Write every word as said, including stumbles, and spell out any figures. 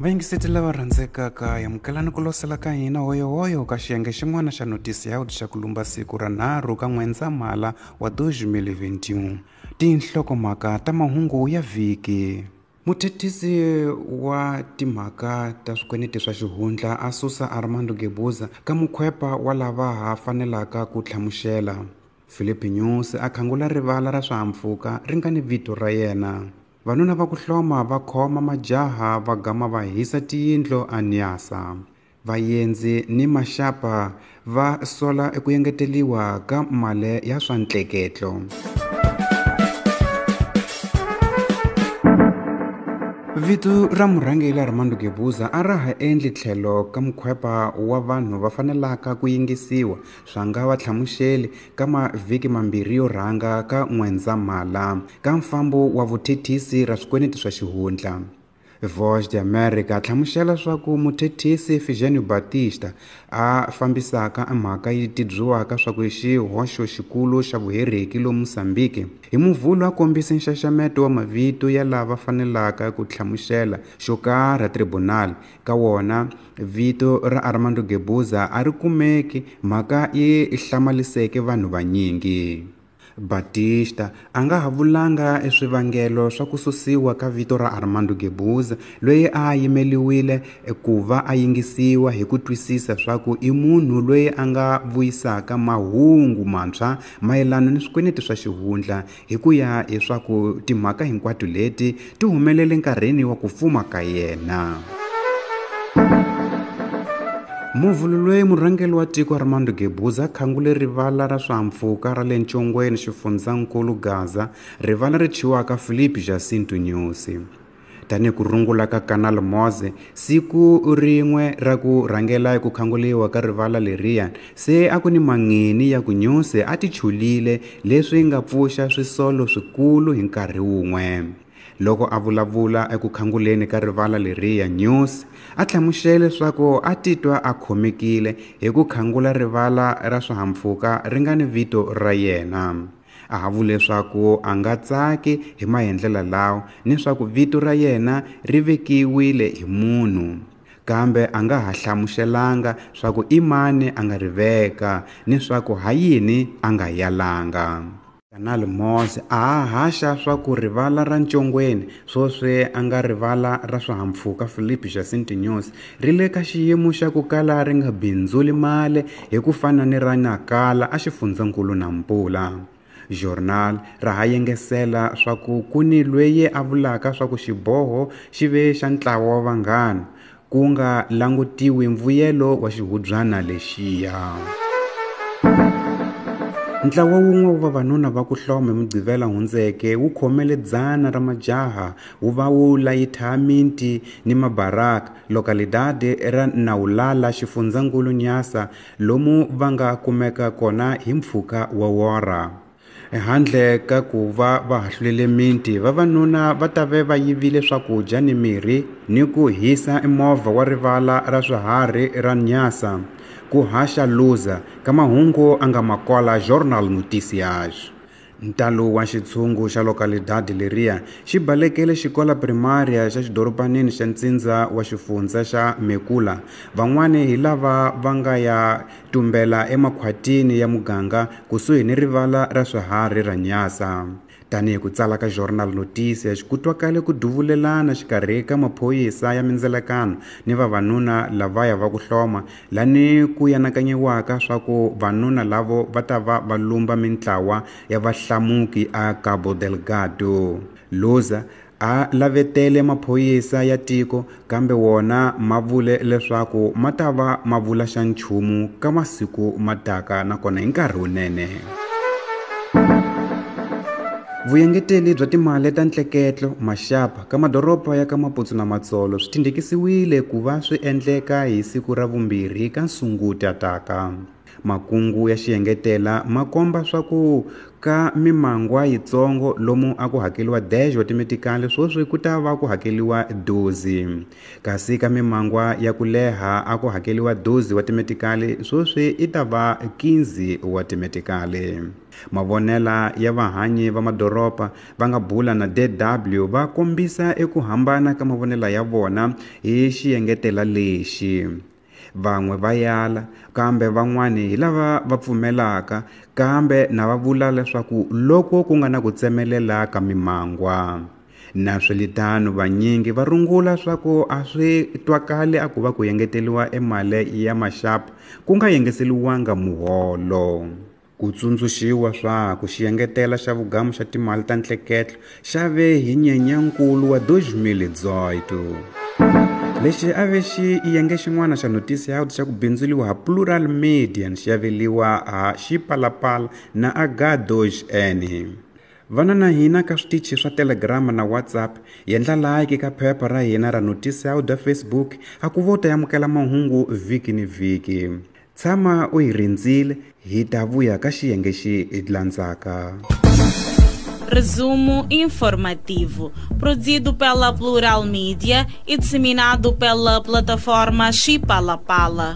Vayingiseti lava rhandzekaka, amukelani ku losela ka hina hoyohoyo ka xiyenge xin'wana xa notisi ya xa ku lumba siku ra nharhu ka N'wendzamhala wa twenty twenty-one. Tinhlokomhaka ta mahungu ya vhiki. Muthethisi wa timhaka ta swikweleti swa xihundla a susa Armando Guebuza ka mukhwepa wa lava ha fanelaka ku hlamusela. Filipe Nyusi a khangula rivala ra swihahampfhuka ri nga ni vito ra yena. Vanuna va ku hloma va khoma majaha va gama va hisa tiyindlu a Nyasa. Vaendzi ni maxapa va sola eku engeteliwa ka mali ya swa ntleketlo. Vito ra murhangeri Armando Guebuza a ra ha endli tlhelo ka mukhwepa wa vanhu va fanelaka ku yingisiwa swa nga va hlamuseli ka mavhiki mambirhi yo rhanga ka N'wendzamhala ka mfambo wa vuthethisi ra swikweleti swa xihundla. Voz de America hlamusela swa ku muthethisi Figênio Batista a fambisaka mhaka yi tibyiwaka swa ku xihoxo xikulu xa vuhereki lomu Mozambique hi Muvhulo a kombise nxaxameto wa mavito ya lava fanelaka ku hlamusela xo karhi tribunal ka wona vito ra Armando Guebuza a ri kumeki, mhaka yi hlamaliseke vanhu vanyingi. Batista a nga ha vulanga eswivangelo swa ku susiwa ka vito ra Armando Guebuza loyi a yimeliwile ku va a yingisiwa hi ku twisisa swa ku i munhu loyi a nga vuyisaka mahungu mantshwa mayelana ni swikweleti swa xihundla hi ku ya hi swa ku timhaka hinkwato leti ti humelele nkarhini wa ku fuma ka yena. Muvhulo loyi murhangeri wa tiko Armando Guebuza khangule rivala ra swihahampfhuka ra le Ntshongweni xifundzankulu Gaza, rivala ri thyiwaka Filipe Jacinto Nyusi. Tanihi ku rungula ka Canal Moze, siku rin'we ra ku rhangela ku khanguliwa ka rivala leriya se a ku ni mangheni ya ku Nyusi a ti chulile leswi nga pfuxa swisolo swikulu hi nkarhi wun'we. Loko a vulavula eku khanguleni ka rivala leriya, Nyusi a hlamusele leswaku a titwa a khomekile hi ku khangula rivala ra swihahampfhuka ri nga ni vito ra yena. A ha vule leswaku a nga tsaki hi maendlelo lawa ni swa ku vito ra yena ri vekiwile hi munhu, kambe a nga ha hlamuselanga swa ku i mani a nga ri veka ni swa ku ha yini a nga yalanga. Canal Moze a haxa swa ku rivala ra Ntshongweni swoswi a nga rivala ra swihahampfhuka Filipe Jacinto Nyusi ri le ka xiyimo xa ku kala ri nga bindzuli mali hi ku fana ni ra Nakala a xifundzankulu Nampula. Journal ra ha yengesela swa ku ku ni loyi a vulaka swa ku xiboho xi ve xa ntlawa wa vanghana ku nga langutiwi mbuyelo wa xihubyana lexiya. Ntlawa wun'we wa vavanuna va ku hloma hi Mugqivela hundzeke wu khomele dzana ra majaha wu va wu layitha minti ni mabaraka localidade ra Naulala xifundzankulu Nyasa lomu va nga kumeka kona hi mpfhuka wa wora. Handle ka ku va va hahlulele minti, vavanuna va ta ve va yivile swakudya ni mirhi ni ku hisa movha wa rivala ra swiharhi ra Nyasa. Ku haxa Luza ka mahungu a nga makola Jornal Noticias. Ntalo wa xitshungu xa localidade leriya xi balekele xikola primaria xa xidorobanini xa ntsindza wa xifundza xa Mekula. Van'wani hi lava va nga ya tumbela emakhwatini ya muganga kusuhi ni rivala ra swiharhi ra Nyasa. Tanihi ku tsala ka Jornal Noticias, ku twakale ku duvulelana xikarhi ka maphorisa ya mindzelakano ni vavanuna lavaya va ku hloma lani ku yanakanyiwaka swa ku vanuna lavo va ta va va lumba mintlawa ya vahlamuki a Cabo Delgado. Luza a lavetele maphorisa ya tiko kambe wona ma vule leswaku ma ta va ma vula xa nchumu ka masiku ma taka nakona hi nkarhi wunene. Vuyengeteli bya timali ta ntleketlo maxapa ka madoroba ya ka Maputo na Matsolo swi tindhikisiwile ku va swi endleka hi siku ra vumbirhi ka Sunguti taka. Makungu ya xiengetela ma komba swa ku ka mimangwa yitsongo lomu a ku hakeliwa dez wa timetikali sweswi ku ta va ku hakeliwa doze, kasi ka mimangwa ya ku leha a ku hakeliwa doze wa timetikali sweswi i ta va quinze wa timetikali. Mavonela ya vahanyi va madoroba va nga bula na D W va kombisa eku hambana ka mavonela ya vona hi xiengetela lexi. Van'we va yala kambe van'wani hi lava va pfumelaka, kambe na va vula leswaku loko ku nga na ku tsemelela ka mimangwa. Na swilitano vanyingi va rungula swa ku a swi twakali a ku va ku engeteriwa emali ya maxapu ku nga yengeseliwanga muholo. Ku tsundzuxiwa swa ku xiengetela xa vugamu xa timali ta ntleketlo xa ve hi Nyenyankulu wa dois mil e dezoito. Lexi a ve xiyenge xin'wana xa Noticias xa ku bindzuriwa ha Plural Media xi aveliwa ha Xipalapala na H dois N. Vana na hina ka switichi swa Telegram na WhatsApp, yendla like ka phepha ra hina ra Noticias da Facebook a ku vo ta amukela mahungu vhiki ni vhiki. Tshama u hi rindzile, hi ta vuya ka xiyenge xi landzaka. Resumo informativo, produzido pela Plural Media e disseminado pela plataforma Xipalapala.